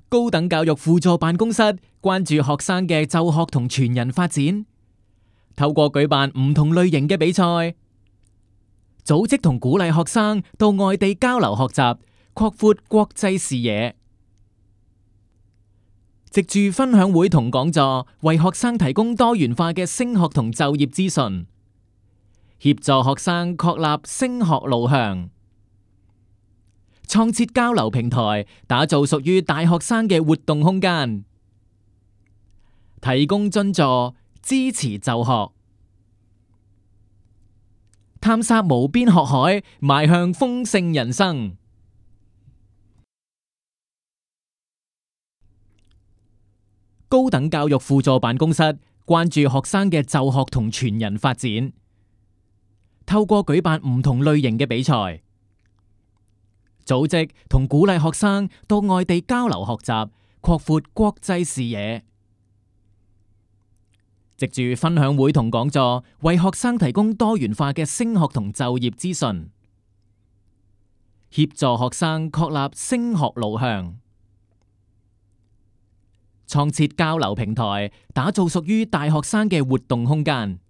高等教育輔助辦公室關注學生嘅就學同全人發展，透過舉辦唔同類型嘅比賽，組織同鼓勵學生到外地交流學習，擴闊國際視野。藉住分享會同講座，為學生提供多元化嘅升學同就業資訊，協助學生確立升學路向。創設交流平台，打造屬於大學生嘅活動空間，提供津助，支持就學，探索無邊學海，邁向豐盛人生。高等教育輔助辦公室關注學生嘅就學同全人發展，透過舉辦唔同類型嘅比賽，組織同鼓勵學生到外地交流學習，擴闊國際視野。藉住分享會同講座，為學生提供多元化嘅升學同就業資訊，協助學生確立升學路向。創設交流平台，打造屬於大學生嘅活動空間，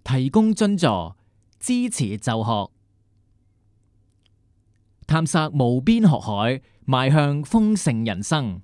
提供津助，支持就學，探索無邊學海，邁向豐盛人生。